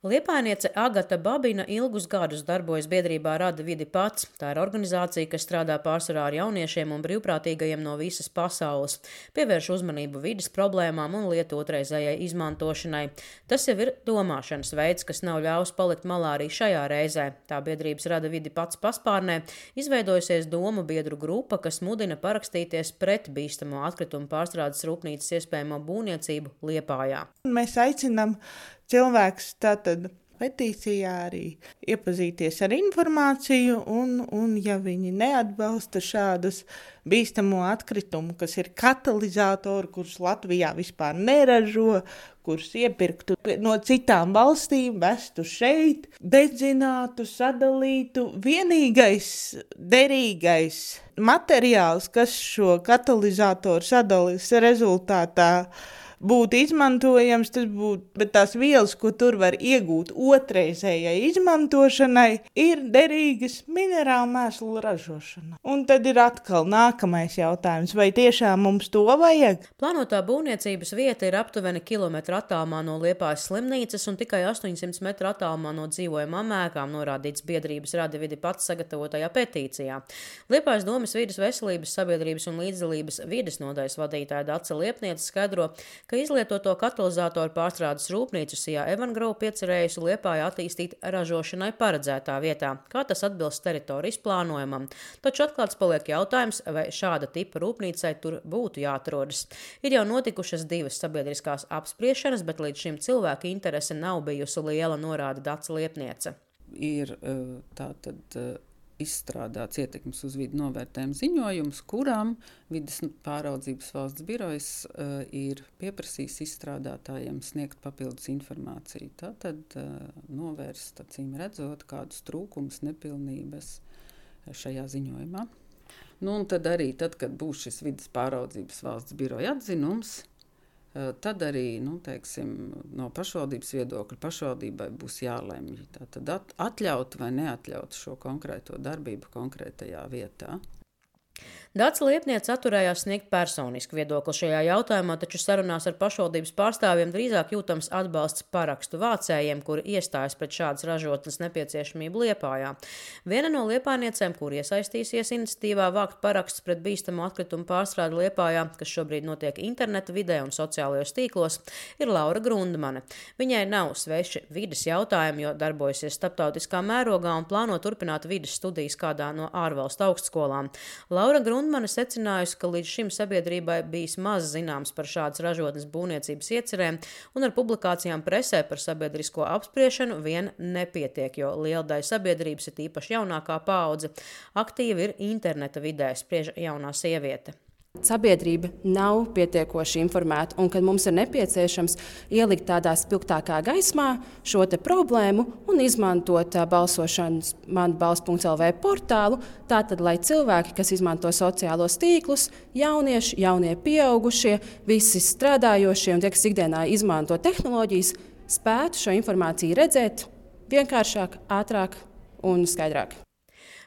Liepājniece Agata Babina ilgus gadus darbojas biedrībā Rada vidi pats. Tā ir organizācija, kas strādā pārsvarā ar jauniešiem un brīvprātīgajiem no visas pasaules, pievērš uzmanību vides problēmām un lietu otrreizējai izmantošanai. Tas jau ir domāšanas veids, kas nav ļaus palikt malā arī šajā reizē. Tā biedrības Rada vidi pats paspārnē izveidojusies domu biedru grupa, kas mudina parakstīties pret bīstamo atkritumu pārstrādes rūpnīcas iespējamo būvniecību Liepājā. Mēs aicinām cilvēkus tātad petīcijā arī iepazīties ar informāciju un ja viņi neatbalsta šādus bīstamo atkritumu, kas ir katalizatori, kurus Latvijā vispār neražo, kurus iepirktu no citām valstīm, vestu šeit, dedzinātu, sadalītu. Vienīgais derīgais materiāls, kas šo katalizatoru sadalis rezultātā būtu izmantojams, tas būtu, bet tās vielas, ko tur var iegūt otrreizējai izmantošanai, ir derīgas minerālu mēslu ražošana. Un tad ir atkal nākamais jautājums, vai tiešām mums to vajag? Plānotā būvniecības vieta ir aptuveni kilometru attālumā no Liepājas slimnīcas un tikai 800 metru attālumā no dzīvojamām ēkām, norādīts biedrības Rada vidi pats sagatavotajā petīcijā. Liepājas domes vides veselības sabiedrības un līdzdalības vides nodaļas vadītāja Dace Liepniece skaidro, ka izlietoto katalizatoru pārstrādes rūpnīcu Sijā Evan Group iecerējusi Liepājā attīstīt ražošanai paredzētā vietā, kā tas atbilst teritorijas plānojumam. Taču atklāts paliek jautājums, vai šāda tipa rūpnīcai tur būtu jāatrodas. Ir jau notikušas 2 sabiedriskās apspriešanas, bet līdz šim cilvēku interese nav bijusi liela, norāda Dace Liepniece. Ir tātad izstrādāts ietekmes uz vidi novērtējuma ziņojums, kurām vides pāraudzības valsts birojas ir pieprasījis izstrādātājiem sniegt papildus informāciju. Tātad novērst, acīm redzot, kādus trūkumus, nepilnības šajā ziņojumā. Un tad arī, kad būs šis vides pāraudzības valsts biroja atzinums, tad arī, no pašvaldības viedokļa pašvaldībai būs jālemj. Tātad atļaut vai neatļaut šo konkrēto darbību konkrētajā vietā. Dace Liepniece atturējās sniegt personisku viedokli šajā jautājumā, taču sarunās ar pašvaldības pārstāvjiem drīzāk jūtams atbalsts parakstu vācējiem, kuri iestājas pret šādas ražotnes nepieciešamību Liepājā. Viena no liepājniecēm, kur iesaistīsies iniciatīvā vākt parakstus pret bīstamo atkritumu pārstrādi Liepājā, kas šobrīd notiek interneta vidē un sociālajos tīklos, ir Laura Grundmane. Viņai nav sveši vides jautājumi, jo darbojasies starptautiskā mērogā un plāno turpināt vides studijas kādā no ārvalstu augstskolām. Laura Grundmane secinājusi, ka līdz šim sabiedrībai bijis maz zināms par šādas ražotnes būvniecības iecerēm, un ar publikācijām presē par sabiedrisko apspriešanu vien nepietiek, jo liela daļa sabiedrības, ir īpaši jaunākā paudze, aktīvi ir interneta vidē, spriež jaunā sieviete. Sabiedrība nav pietiekoši informēta, un kad mums ir nepieciešams ielikt tādā spilgtākā gaismā šo te problēmu un izmantot balsošanas manbalss.lv portālu, tātad, lai cilvēki, kas izmanto sociālos tīklus, jaunieši, jaunie pieaugušie, visi strādājošie un tie, kas ikdienā izmanto tehnoloģijas, spētu šo informāciju redzēt vienkāršāk, ātrāk un skaidrāk.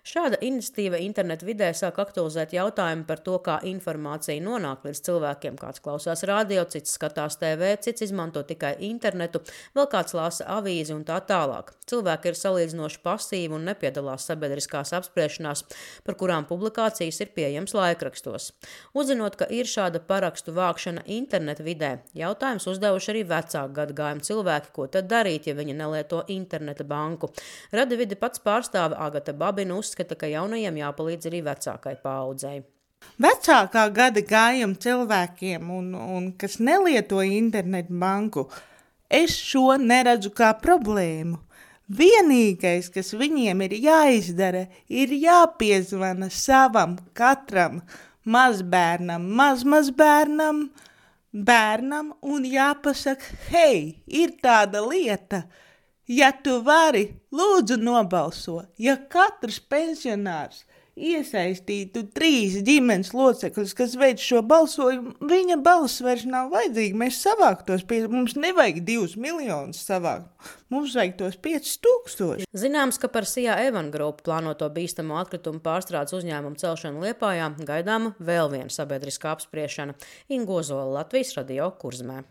Šāda iniciatīva internetu vidē sāk aktualizēt jautājumu par to, kā informācija nonāk līdz cilvēkiem. Kāds klausās radio, cits skatās TV, cits izmanto tikai internetu, vēl kāds lasa avīzi un tā tālāk. Cilvēki ir salīdzinoši pasīvi un nepiedalās sabiedriskās apspriešanās, par kurām publikācijas ir pieejams laikrakstos. Uzzinot, ka ir šāda parakstu vākšana internetu vidē, jautājums uzdevuši arī vecāku gadagājumu cilvēki, ko tad darīt, ja viņi nelieto interneta banku. Rada vidi pats pārstāve Agata Babina uzskata, ka jaunajiem jāpalīdz arī vecākai paaudzei. Vecākā gada gājuma cilvēkiem, un kas nelieto internetu banku, es šo neredzu kā problēmu. Vienīgais, kas viņiem ir jāizdara, ir jāpiezvana savam katram mazbērnam, mazbērnam, bērnam un jāpasaka, hei, ir tāda lieta, ja tu vari, lūdzu nobalso, ja katrs pensionārs iesaistītu 3 ģimenes locekļus, kas veic šo balsojumu, viņa balss vairs nav vajadzīga. Mēs savāktos, mums nevajag 2 miljonus savākt, mums vajag tos 5000. Zināms, ka par Sijā Evan Group plānoto bīstamo atkritumu pārstrādes uzņēmumu celšanu Liepājā gaidāma vēl viena sabiedriskā apspriešana. Inga Ozola, Latvijas radio Kurzemē.